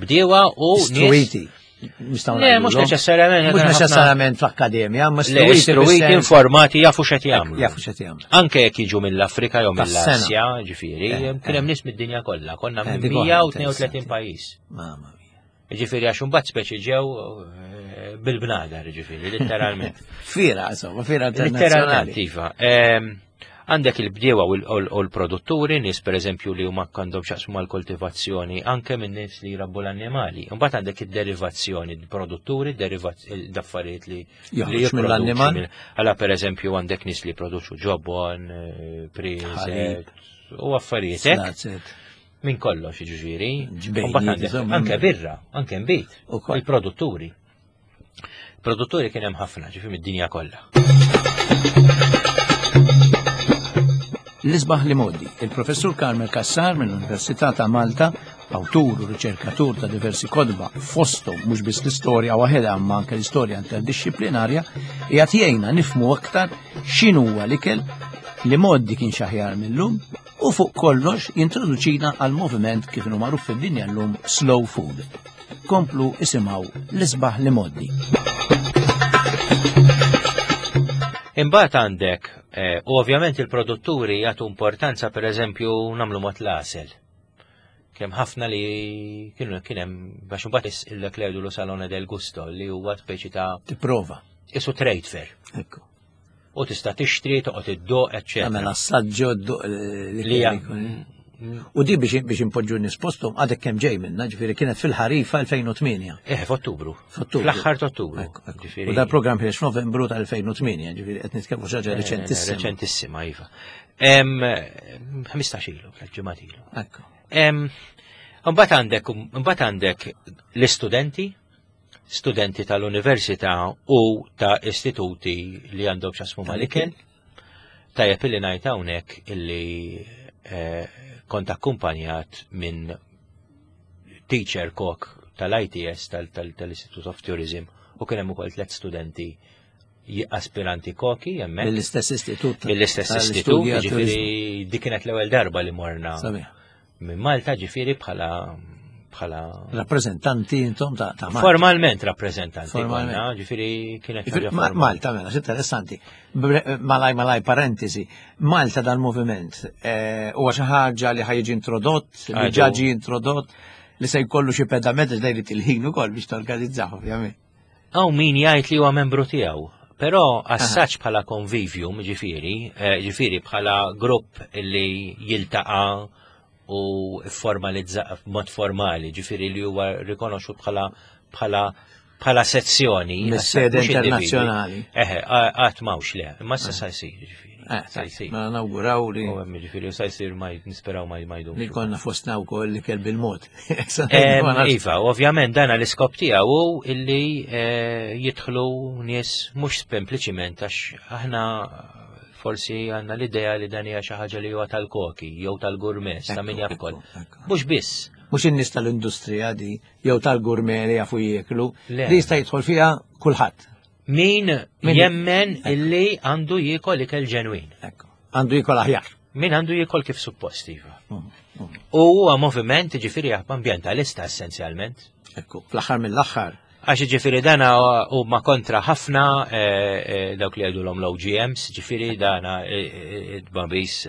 Bdiewa u nies. Istruiti. Nistgħu Le, mhux ngħidulhom. neċessarjament. Mhux neċessarjament fl-akkademja, ma Le, istruiti istruiti fis-sens- informati jafu x'qed jagħmlu. Jafu x'qed jagħmlu. Anke jekk jiġu mill-Afrika jew Tas-sena. mill-Asja, ġifieri, Eh, kien hemm nies mid-dinja kollha, konna Eh, minn dik oħra 132 interessanti. pajjiż. Mamma mia. Ġifieri għax imbagħad speċi ġew eh, bil-bnadar, ġifieri, litteralment. Fira, insomma, fira Litteralment, internazzjonali. iva. Ehm, Għandek il-bdiewa u l- u l-produtturi, nies per eżempju li huma għandhom xaqsmu mal-koltivazzjoni, anke minn nies li jrabbu l-annimali. Imbagħad għandek id-derivazzjoni, il-produtturi, d-affarijiet li li Joħroġ jipproduċu mill-annimal. mill- Għala per eżempju għandek nies li jipproduċu ġobon, eh, priżet, u affarijiet hekk. Slazzet. Minn kollox ġifieri. Ġbejniet, Imbagħad għandek insomma. Anke birra, anke nbid. Ukoll. Il-produtturi. Produtturi kien hemm ħafna, ġifieri mid-dinja kollha. L-isbaħ li modi, il-professur Carmel Cassar mill-Università ta' Malta, awtur u riċerkatur ta' diversi kodba, fosthom mhux biss l-istorja waħedha imma anke l-istorja interdixxiplinarja, qiegħed jgħinna nifhmu aktar x'inhuwa l-ikel li modi kien xaħjar mill-lum u fuq kollox jintroduċina għal moviment kif inhu magħruf fid-dinja llum slow food. Komplu isimgħu l-isbaħ li modi. Imbagħad għandek, eh, u ovvjament il-produtturi jagħtu importanza pereżempju nagħmlu mod l-għasel. Kemm ħafna li kienu kien hemm biex imbagħad is il lu Salone del Gusto li huwa speċi ta' Tipprova. isu trade fair. Ekku. U tista' tixtri, toqgħod iddoq, Tagħmel eċċetera. assaġġo dduq li Li hija- U di biex biex impoġġu nies posthom għadek kemm ġej minna, ġifieri kienet fil-ħarifa 2008. Eh, f'Ottubru. F'Ottubru. Fl-aħħar ta' Ottubru. Ekku, ekku. Ġifieri- U dal-programm ħiex f'Novembru tal-2008, ġifieri qed nitkellmu xi ħaġa reċentissima. Reċentissima, iva. Em, 15 ilu, tliet ġimgħat ilu. Ekku. Em, Imbagħad għandek imbagħad għandek l-istudenti, studenti tal-università u ta' istituti li għandhom x'jaqsmu mal-ikel. Tajjeb illi ngħid hawnhekk illi eh, kont akkumpanjat minn teacher kok tal-ITS tal-Institute of Tourism u kien hemm ukoll tliet studenti aspiranti koki hemmhekk Mill-istess istitut. mill-istess istitut, tal-istudji għat-turizmu. ġifieri dik kienet l-ewwel darba li morna Sabiħ. minn Malta ġifieri bħala bħala Rappreżentanti intom ta' ta' Malta. formalment rappreżentanti Formalment. konna, ġifieri kienet Ġifieri, ħaġa Ma- formali. Malta, mela, interessanti. Bre- Malaj, malaj, parentesi. Malta dal-moviment eh, huwa xi ħaġa li ħajġi introdott, li Għadu. ġa ġie introdott, li se jkollu xi pedament għax dejri til-ħin ukoll biex torganizzaw, ovvjament. Hawn min jgħid li huwa membru tiegħu, però assaġġ bħala convivium ġifieri, eh, ġifieri bħala grupp li jiltaqa' u formalizza mod formali, ġifieri li huwa rikonoxxut bħala bħala bħala sezzjoni Mis-sede mhux individwi. internazzjonali. Eħe, qatt m'hawnx le, imma issa sa jsir ġifieri. Eh, Sa jsir. Mela nawguraw li U hemm ġifieri sa jsir ma nisperaw ma ma jdumx. li konna fostna wkoll li kell bil-mod. Iva, ovvjament dana l-iskop tiegħu hu illi eh, jidħlu nies mhux sempliċiment għax aħna forsi għandna l-idea li dan hija xi ħaġa li huwa tal-koki jew tal-gourmet ta' min jaf ukoll. Mhux biss. Mhux in-nies tal-industrija di jew tal-gourmet li jafu jieklu, Le. li jista' jidħol fiha kulħadd. Min Min- jemmen illi għandu jiekol ikel ġenwin. Ekku. Għandu jiekol aħjar. Min għandu jiekol kif suppost iva. Mm, mm. U huwa moviment ġifieri ambjentalista essenzjalment. Ekku, fl-aħħar mill-aħħar. Għax ġifiri dana huma kontra ħafna eh, eh, dawk li għajdu l-om l-OGMs, ġifiri dana id-babis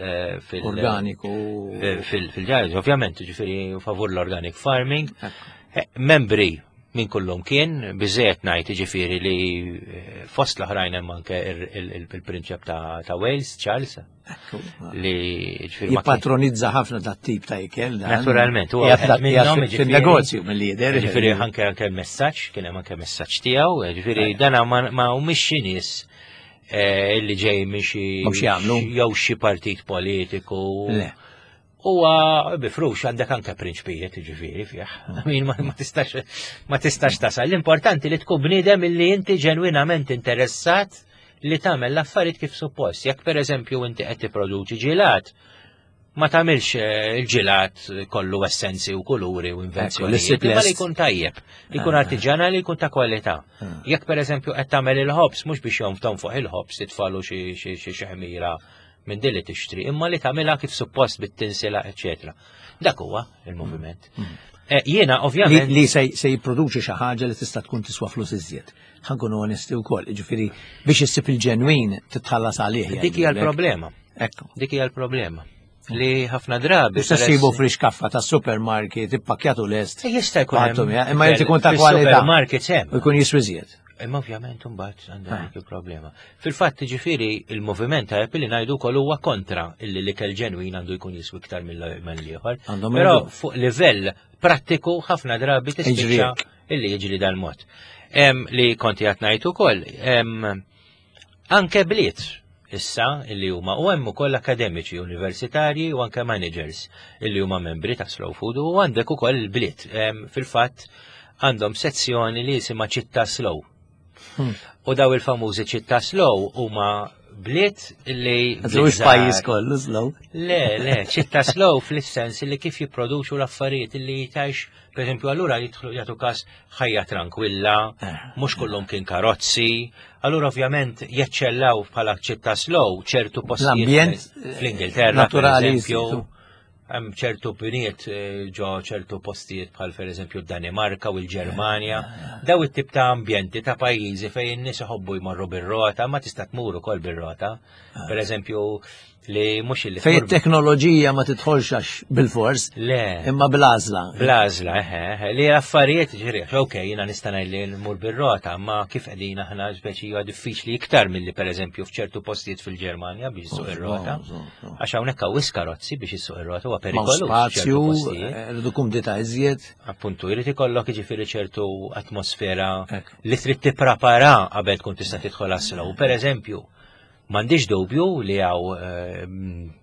fil- Organiku. eh, fil-ġarġ, ovvjament, ġifiri favur l-organic farming. Ekku. Eh, Membri minn kullum kien, biżejjed ngħid ġifiri li eh, fost l-oħrajn hemm anke il-prinċep ta' ta' Wales, Charles, Ekku. li ġifiri ma kien- Jippatronizza ħafna dat tip ta' ikel. dan. Naturalment, huwa Qiegħed wieħed minnhom, qiegħed jiġifieri- Fin-negozju mill-lider. Ġifiri anke anke l-messaġġ, kien hemm anke messaġġ tiegħu, ġifieri dana ma ma humiex xi nies eh, li ġej minn xi Mhux jagħmlu. jew xi partit politiku. Le. Huwa bifrux għandek anke prinċpijiet ġifieri fih. Min ma tistax ma tistax tasal. L-importanti li tkun bniedem illi inti ġenwinament interessat li tagħmel l-affarijiet kif suppost. Jekk pereżempju inti qed tipproduċi ġilat, ma tagħmilx eh, il-ġilat kollu essenzi u kuluri u invenzjoni. Imma li jkun tajjeb, jkun ah. artiġjanali, jkun ta' kwalità. Ah. Jekk pereżempju qed tagħmel il-ħobs mhux biex jonftom fuq il-ħobs titfalu xi xi ħmira minn din li tixtri, imma li tagħmilha kif suppost bit-tinsila, eċetera. Dak huwa il-moviment. Eh, jiena ovvjament li se jipproduċi xi ħaġa li tista' tkun tiswa flus iżjed. Ħa nkunu onesti wkoll, jiġifieri biex issib il-ġenwin titħallas għalih. Dik hija l-problema. Ekku. Dik hija l-problema. Li ħafna drabi. Tista' ssibu frixkaffa ta' supermarket ippakkjatu lest. Eh, jista' jkun. Imma jrid ikun ta' kwalità. Supermarket hemm. U jkun jiswi iżjed. Imma ovvjament imbagħad għandha ah. dik il-problema. Fil-fatt ġifieri il-moviment ta' li ngħidu wkoll huwa kontra illi l-ikel ġenwin għandu jkun jiswi iktar mill-ieħor. Però fuq livell prattiku ħafna drabi tispiċċa illi jiġri dal-mod. Li konti qed ngħid ukoll, anke bliet issa illi huma u hemm ukoll akademiċi universitarji u anke managers illi huma membri ta' Slow Food u għandek ukoll il-bliet. Fil-fatt għandhom sezzjoni li jisimha ċittà slow. U daw il-famużi ċittà slow huma bliet li. Mhux pajjiż kollu slow. Le, le, ċittà slow fl-sens li kif jipproduċu l-affarijiet li jitax, per eżempju, allura jidħlu jagħtu każ ħajja tranquilla, eh. mhux kullum kien karozzi, allura ovvjament jeċċellaw bħala ċittà slow ċertu postijiet. L-ambjent fl-Ingilterra, naturali, hemm ċertu bniet eh, ġo ċertu postijiet bħal pereżempju d-Danimarka u l-Ġermanja, daw it-tip ta' ambjenti ta' pajjiżi fejn in-nies iħobbu jmorru bir-rota, ma tista' tmur ukoll bir-rota. Ah. Pereżempju li mhux illi Fejn it-teknoloġija ma tidħolx għax bil-fors. Le. Imma bl-għażla. Bl-għażla, eħe, li affarijiet ġiri, ok, jiena nista' ngħid li nmur bir-rota, ma kif qegħdin aħna speċi huwa diffiċli iktar milli pereżempju f'ċertu postijiet fil-Ġermanja biex issuq ir-rota. Għax hawnhekk hawn wisq karozzi biex issuq ir-rota huwa perikoluż. Spazju, eh, rridu kumdita iżjed. Appuntu, jrid ikollok jiġifieri ċertu atmosfera li trid tipprepara qabel tkun tista' tidħol għas-slow. Per eżempju, m'għandix dubju li hawn eh,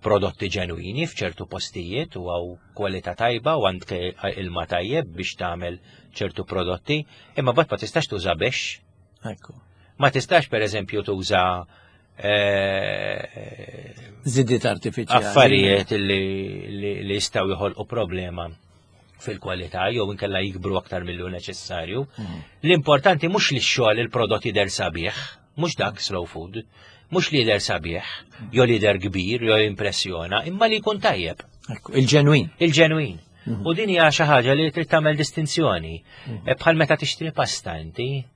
prodotti ġenwini f'ċertu postijiet u hawn kwalità tajba u għandek ilma tajjeb biex tagħmel ċertu prodotti, imma bad ma tistax tuża biex. Ma tistax per eżempju tuża Eh, Zidiet artifiċjali. Affarijiet li jistgħu joħolqu problema fil-kwalità jew inkella jikbru aktar millu neċessarju. L-importanti mhux li x-xogħol il-prodott jidher sabiħ, mhux dak slow food, mhux li jidher sabiħ, jew li jidher kbir, jew impressjona, imma li jkun tajjeb. Il-ġenwin. Il-ġenwin. Mhm. U din hija xi ħaġa li trid tagħmel distinzjoni. Mhm. Eh, bħal meta tixtri pasta inti,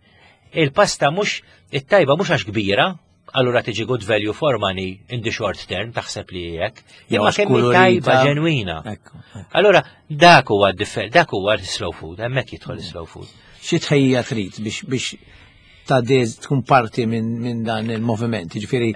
Il-pasta mhux it-tajba mhux għax kbira, allura tiġi good value for money in the short term, taħseb li hekk, imma kemm tajba ġenwina. Allura dak huwa dak huwa slow food, hemmhekk jidħol slow food. Xi tħejja trid biex biex ta' tkun parti minn dan il-moviment, jiġifieri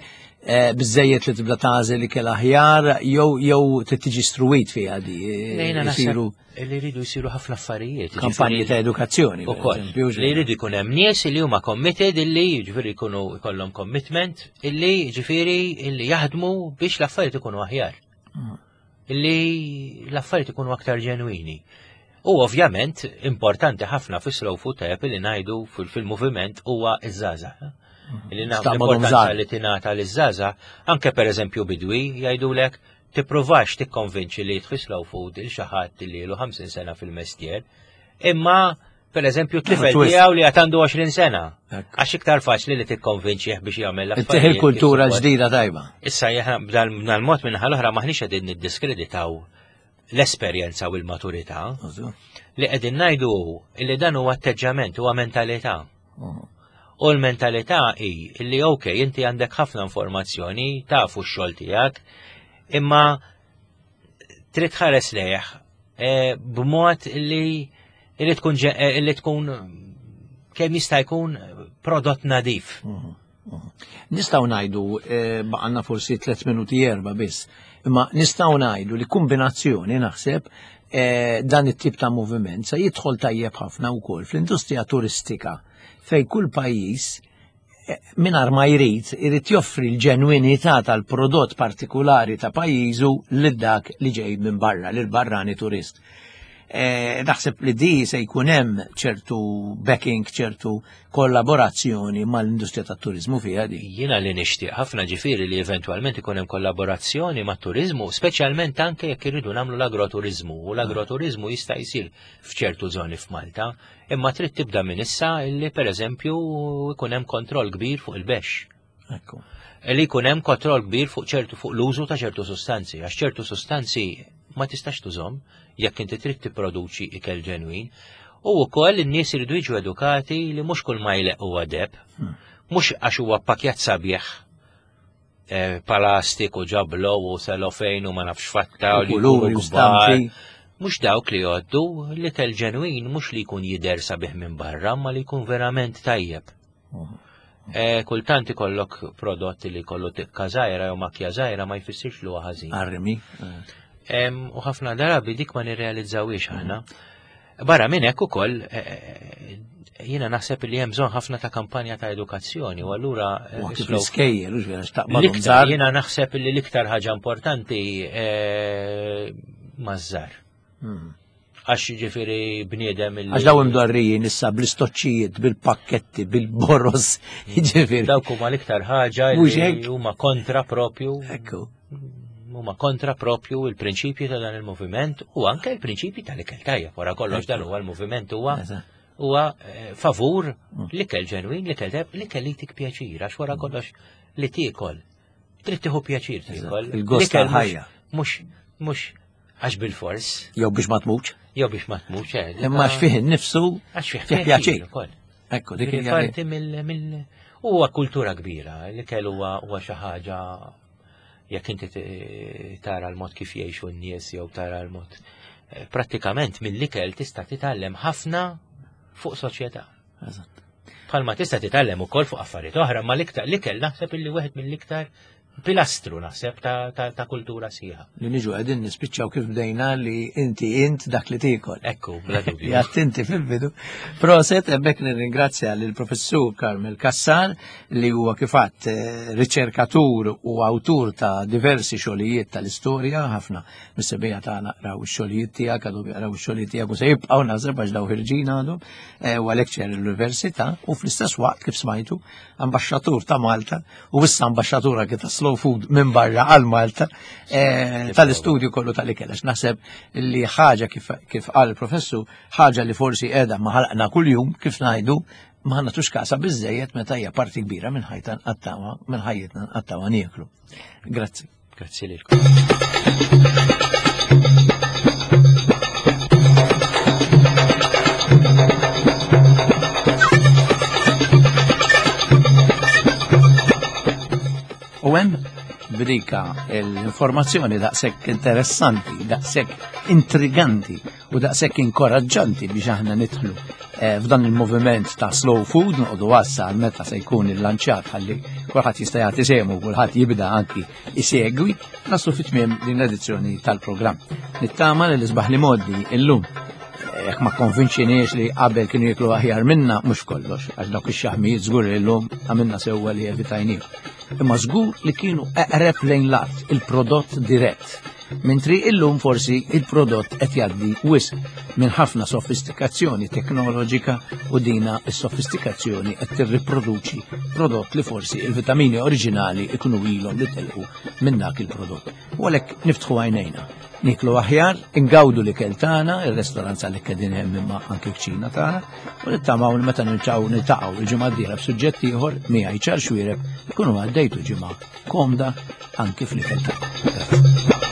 Eh, biżejjed li tibda tagħżel ikel aħjar jew jew trid tiġi struwit fiha di. Eh, isiru li jridu jsiru ħafna affarijiet. Kampanji ta' edukazzjoni. Ukoll. Li jridu jkun hemm nies li huma committed illi jiġifieri jkunu jkollhom commitment illi jiġifieri illi jaħdmu biex l-affarijiet ikunu aħjar. Illi l-affarijiet ikunu aktar ġenwini. U ovvjament importanti ħafna fi slow food tajjeb li ngħidu fil-moviment huwa iż-żgħażagħ. Li nagħmlu l-importanza li tingħata liż-żgħażagħ, anke pereżempju bidwi jgħidulek tippruvax tikkonvinċi li jidħol slow food il xi ħadd li ilu 50 sena fil-mestier, imma per eżempju tifel tiegħu li għad għandu 20 sena. Għax iktar faċli li tikkonvinċih biex jagħmel l-affarijiet. il-kultura ġdida tajba. Issa b'dal mod minn l-oħra maħniex qegħdin niddiskreditaw l-esperjenza u l-maturità. Li qegħdin ngħidu li dan huwa atteġġament, huwa mentalità. U l-mentalità hi li ok, inti għandek ħafna informazzjoni, tafu x-xogħol tiegħek, imma trid tħares lejh eh, b'mod li li tkun eh, li tkun kemm jista' jkun prodott nadif. Mhm, mhm. Nistgħu ngħidu eh, baqanna forsi 3 minuti erba' biss, imma nistgħu ngħidu li kombinazzjoni naħseb dan it-tip ta' moviment se jidħol tajjeb ħafna wkoll fl-industrija turistika fej kull pajjiż mingħajr ma jrid, irid joffri l-ġenwinità tal-prodott partikulari ta' pajjiżu lil dak li ġej minn barra, lil barrani turist. Eh, naħseb li di se jkun hemm ċertu backing, ċertu kollaborazzjoni mal-industrija tat-turizmu fiha di. Jiena li nixtieq ħafna ġifieri li eventwalment ikun hemm kollaborazzjoni mat-turizmu, speċjalment anke jekk irridu nagħmlu l-agroturizmu, u l-agroturizmu jista' jsir f'ċertu żoni f'Malta, imma trid tibda minn issa li pereżempju jkun hemm kontroll kbir fuq il-bexx. Ekku. Li jkun hemm kontroll kbir fuq ċertu fuq l-użu ta' ċertu sustanzi, għax ċertu sustanzi ma tistax tużhom jekk inti trid tipproduċi ikel ġenwin. U wkoll in-nies iridu jiġu edukati li mhux kull ma jleq huwa deb, mhux għax huwa pakjat sabiħ eh, palastik u ġablo u selofejn u ma nafx fatta u li Kuluri jkunu u stampi. kbar. Mhux dawk li jgħoddu l-ikel ġenwin mhux li jkun jidher sabiħ minn barra, ma li jkun verament tajjeb. Eh, Kultant ikollok prodotti li jkollu tikka żgħira jew makja żgħira ma jfissirx li huwa ħażin. Arrimi. U ħafna drabi dik ma nirrealizzawiex aħna. Barra minn hekk ukoll eh, jiena naħseb li hemm bżonn ħafna ta' kampanja ta' edukazzjoni u allura eh, U kif slow- l-iskejjel, u ġvera, xtaqbadhom l-iktar żgħar. jiena naħseb li l-iktar ħaġa importanti eh, maż-żar. Għax ġifieri bniedem il Għax daw imdorrijin issa bl-istoċċijiet, bil-pakketti, bil-boros, ġifieri. Dawk huma l-iktar ħaġa Mhux li hekk? huma kontra propju Ekku. huma kontra propju il-prinċipji ta' dan il-moviment u anke il-prinċipji tal-ikel tajjeb wara kollox dan huwa l-moviment huwa Eżatt. huwa eh, favur l-ikel ġenwin, l-ikel tajjeb, l-ikel li jtik pjaċir, għax wara kollox li tiekol. Trid tieħu pjaċir tiekol. Il-gost L-ikel mhux- tal-ħajja. Mhux mhux għax bil-fors, Jew biex ma tmutx. jew biex ma tmutx. eh, Imma għax fih innifsu għax fih fih pjaċir. ukoll. Ekku, dik Dik hija parti mill mill huwa kultura kbira, l-ikel huwa huwa xi ħaġa jekk inti tara l-mod kif jgħixu n-nies jew tara l-mod eh, prattikament mill-ikel tista' titgħallem ħafna fuq soċjetà. Eżatt. Bħalma tista' titgħallem ukoll fuq affarijiet oħra, ma l-iktar l-ikel naħseb illi wieħed mill-iktar pilastru naħseb ta', ta, ta kultura sħiħa. Li niġu qegħdin nispiċċaw kif bdejna li inti int dak li tiekol. Ekku, bla dubju. Jattinti fil-bidu. Proset, hemmhekk nirringrazzja lill professur Carmel Cassar li huwa kifatt eh, riċerkatur u awtur ta' diversi xogħlijiet tal-istorja, ħafna mis-sebija tagħna qraw ix-xogħlijiet tiegħek, għadhom jaqraw ix-xogħlijiet tiegħek u se jibqgħu naħseb għax daw ħirġin għadhom, eh, huwa lecturer l-università u fl-istess waqt kif smajtu ambaxxatur ta' Malta u issa ambaxxatur anke ta' Slow Food minn barra għal Malta eh, tal-istudju kollu tal-ikel. Għax naħseb li ħaġa kif, kif qal il-professur, ħaġa li forsi qiegħda ma ħalqna kuljum kif ngħidu ma nagħtux kasa biżejjed meta hija parti kbira minn ħajta nqattawha minn ħajjitna nqattawha nieklu. Grazzi. Grazzi lilkom. U hemm b'dika l-informazzjoni daqshekk interessanti, daqshekk intriganti u daqshekk inkoraġġanti biex aħna nidħlu eh, f'dan il-moviment ta' slow food noqogħdu għassa għal meta se jkun il-lanċat ħalli kulħadd jista' jagħti sehmu kulħadd jibda anki isegwi naslu fit-tmiem din l-edizzjoni tal-programm. Nittama li l-isbaħ li moddi illum jekk ma konvinċiniex li qabel kienu jiklu aħjar minna, mhux kollox, għax dawk ix-xaħmijiet żgur li llum għamilna sewwa li evitajnihom. Imma żgur li kienu eqreb lejn l-art, il-prodott dirett. Mentri illum forsi il-prodott qed jgħaddi wisq minn ħafna sofistikazzjoni teknoloġika u dina s-sofistikazzjoni qed tirriproduċi prodott li forsi il-vitamini oriġinali ikunu ilhom li telqu minn dak il-prodott. U għalhekk niftħu għajnejna. Niklu aħjar, ingawdu l-ikel tagħna, ir-restorant li qegħdin hemm imma anke kċina tagħna, u nittamaw li meta niltaqgħu niltaqgħu il-ġimgħa d-dieħla b'suġġett ieħor miegħi ċar xwiereb ikunu għaddejtu ġimgħa komda anki fl-ikel tagħkom. Grazzi.